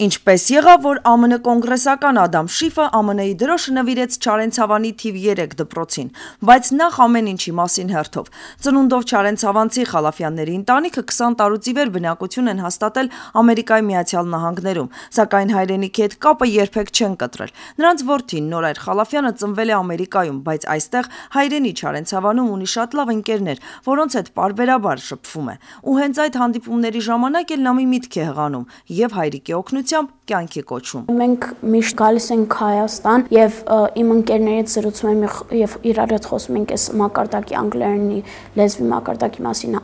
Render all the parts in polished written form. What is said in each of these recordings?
Ինչպես եղավ, որ ԱՄՆ կոնգրեսական Ադամ Շիֆը ԱՄՆ-ի դրոշը նվիրեց Չարենցավանի թիվ 3 դպրոցին, բայց նախ ամեն ինչի մասին հերթով։ Ծնունդով չարենցավանցի Խալաֆյանների ընտանիքը 20 տարուց ի վեր բնակություն են հաստատել Ամերիկայի Միացյալ Նահանգներում, սակայն հայրենիքի հետ կապը երբեք չեն կտրել։ Նրանց որդին Նորայր Խալաֆյանը ծնվել է Ամերիկայում, բայց այստեղ հայրենի Չարենցավանում ունի շատ լավ ընկերներ, որոնց հետ պարբերաբար շփվում է։ Ու հենց այդ հանդիպումների ժամանակ էլ նա մի միտք է հղանում եւ հայրիկի օգնությամբ կյանքի կոչում։ Մենք միշտ գալիս ենք Հայաստան եւ իմ ընկերներից զրուցում եմ եւ իրար հետ խոսում ենք այս մակարդակի անգլերենի լեզվի մակարդակի մասին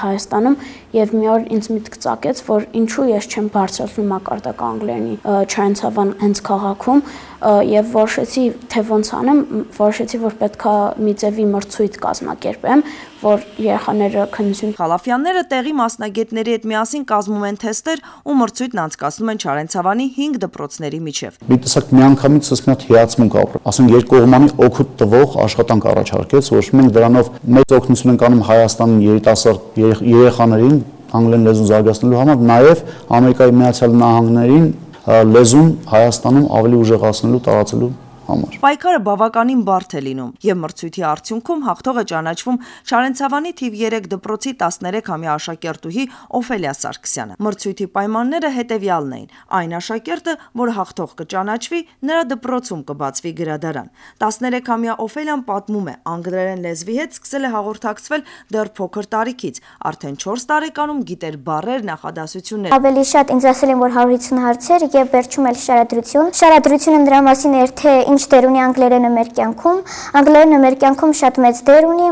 Հայաստանում եւ մի օր ինձ միտք ծագեց, որ ինչու ես չեմ բարձրացնում մակարդակը անգլերենի Չարենցավան հենց քաղաքում եւ որոշեցի թե ոնց անեմ, որոշեցի որ պետքա մի ձևի մրցույթ կազմակերպեմ, որ երեխաները քննություն Խալաֆյանները տեղի մասնագետների հետ միասին կազմում են թեստեր ու մրցույթն անցկացնում են Չարենցավանի 5 դպրոցների միջև։ Մի տեսակ միանգամից մի հատ հիացմունք ապրել։ Ասենք երկկողմանի օգուտ տվող աշխատանք առաջարկեց, որ մենք դրանով մեծ օգնություն ենք անում Հայաստանի երիտասարդ երեխաներին անգլերեն լեզուն զարգացնելու համար, նաև Ամերիկայի Միացյալ Նահանգներին լեզուն Հայաստանում ավելի ուժեղացնելու, տարածելու համար։ Պայքարը բավականին բարդ է լինում եւ մրցույթի արդյունքում հաղթող է ճանաչվում Չարենցավանի թիվ 3 դպրոցի 13-ամյա աշակերտուհի Օֆելիա Սարգսյանը։ Մրցույթի պայմանները հետեւյալն էին. այն աշակերտը, որ հաղթող կճանաչվի, նրա դպրոցում կբացվի գրադարան։ 13-ամյա Օֆելիան պատմում է, անգլերեն լեզվի հետ սկսել է հաղորդակցվել դեռ փոքր տարիքից, արդեն 4 տարեկանում գիտեր բառեր, նախադասություններ։ Ավելի շատ ինձ ասել են, որ 150 հարցեր եւ վերջում էլ շարադրություն։ Շարադրությունը նրա մասին էր, թե ինչ դեր ունի անգլերենը մեր կյանքում։ Անգլերենը մեր կյանքում շատ մեծ դեր ունի։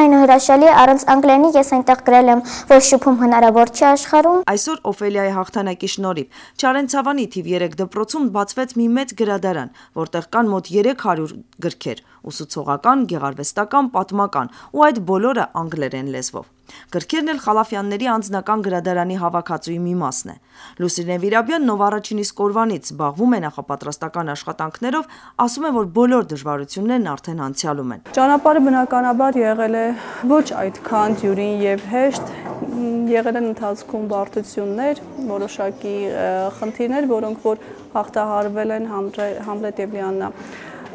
Այնուհրաշալի առանց անգլերենի ես այնտեղ գրել եմ, որ շփում հնարավոր չի աշխարհում։ Այսօր Օֆելիայի հաղթանակի շնորհիվ Չարենցավանի թիվ 3 դպրոցում բացվեց մի մեծ գրադարան, որտեղ կան մոտ 300 գրքեր՝ ուսուցողական, գեղարվեստական, պատմական, ու այդ բոլորը անգլերեն լեզվով։ Գրքերն էլ Խալաֆյանների անձնական գրադարանի հավաքածուի մի մասն է։ Լուսինե Վիրաբյանն, ով առաջին իսկ օրվանից զբաղվում է նախապատրաստական աշխատանքներով, ասում է, որ բոլոր դժվարություններն արդեն անցյալում են։ Ճանապարհը բնականաբար եղել է ոչ այդքան դյուրին եւ հեշտ, եղել են ընթացքում բարդություններ, որոշակի խնդիրներ, որոնք որ հաղթահարվել են Համլետ եւ Լիաննա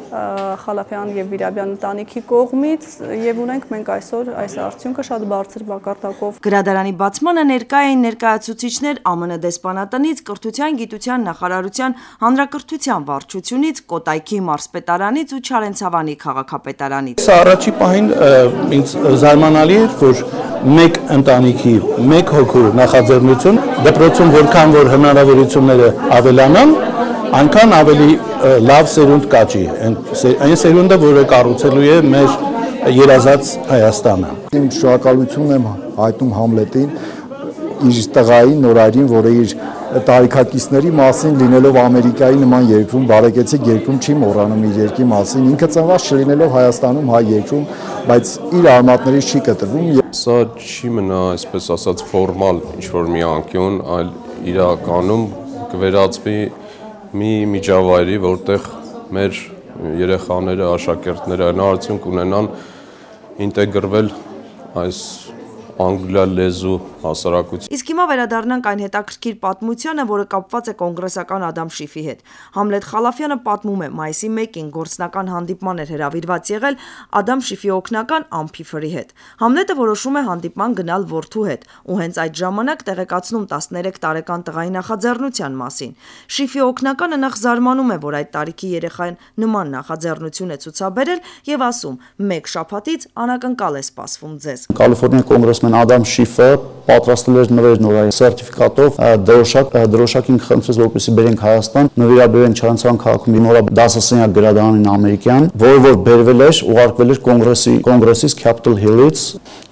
Խալաֆյան եւ Վիրաբյան ընտանիքի կողմից եւ ունենք մենք այսօր այս արդյունքը շատ բարձր մակարդակով։ Գրադարանի բացմանը ներկա էին ներկայացուցիչներ ԱՄՆ դեսպանատնից, կրթության, գիտության նախարարության, հանրակրթության վարչությունից, Կոտայքի մարզպետարանից ու Չարենցավանի քաղաքապետարանից։ Սա առաջի պահին ինձ զարմանալի էր, որ մեկ ընտանիքի, մեկ հոգու նախաձեռնություն դպրոցում որքան որ հնարավորությունները ավելանան, այնքան ավելի լավ սերունդ կաճի, այն սերունդը, որը կառուցելու է մեր երազած Հայաստանը։ Իմ շնորհակալությունն եմ հայտնում Համլետին, իր տղային Նորայրին, որը իր տարիքակիցների մասին լինելով Ամերիկայի նման երկրում, բարեկեցիկ երկրում չի մոռանում իր երկրի մասին, ինքը ծնված չլինելով Հայաստանում հայ երկրում, բայց իր արմատներից չի կտրվում։ Սա չի մնա, այսպես ասած, ֆորմալ ինչ-որ մի անկյուն, այլ իրականում կվերածվի մի միջավայրի, որտեղ մեր երեխաները, աշակերտները հնարավորություն կունենան ինտեգրվել այս անգլիա լեզու հասարակություն։ Իսկ հիմա վերադառնանք այն հետաքրքիր պատմությանը, որը կապված է կոնգրեսական Ադամ Շիֆի հետ։ Համլետ Խալաֆյանը պատմում է, մայիսի 1-ին գործնական հանդիպման էր հրավիրված եղել Ադամ Շիֆի օգնական Ամփիֆրի հետ։ Համլետը որոշում է հանդիպման գնալ որդու հետ, ու հենց այդ ժամանակ տեղեկացնում 13 տարեկան տղայի նախաձեռնության մասին։ Շիֆի օգնականը նախ զարմանում է, որ այդ տարիքի երեխան նման նախաձեռնություն է ցուցաբերել եւ ասում. «Մեկ շաբաթից անակնկալ է սպասվում ձեզ»։ Կալիֆոռնիա կոնգրեսմեն Ադամ Շիֆը պատրաստել էր նվեր նորայի սերտիֆիկատով դրոշակին խնդրեց, որպեսզի բերենք Հայաստան, նվիրաբերենք Չարենցավան քաղաքում նորա դասասենյակ գրադարանին ամերիկյան, որը որ բերվել էր, ուղարկվել էր կոնգրեսից Capitol Hill-ից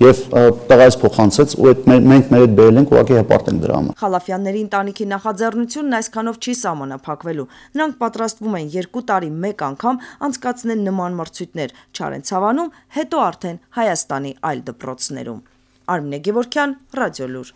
եւ տղայից փոխանցեց, ու մենք մեր հետ բերել ենք, ուղղակի հպարտ ենք դրա համար։ Խալաֆյանների ընտանիքի նախաձեռնությունն այսքանով չի սահմանափակվելու։ Նրանք պատրաստվում են 2 տարի մեկ անգամ անցկացնել նման մրցույթներ Չարենցավանում, հետո արդեն Հայաստանի այլ դպրոցներում։ Արմինե Գևորգյան, Ռադիոլուր։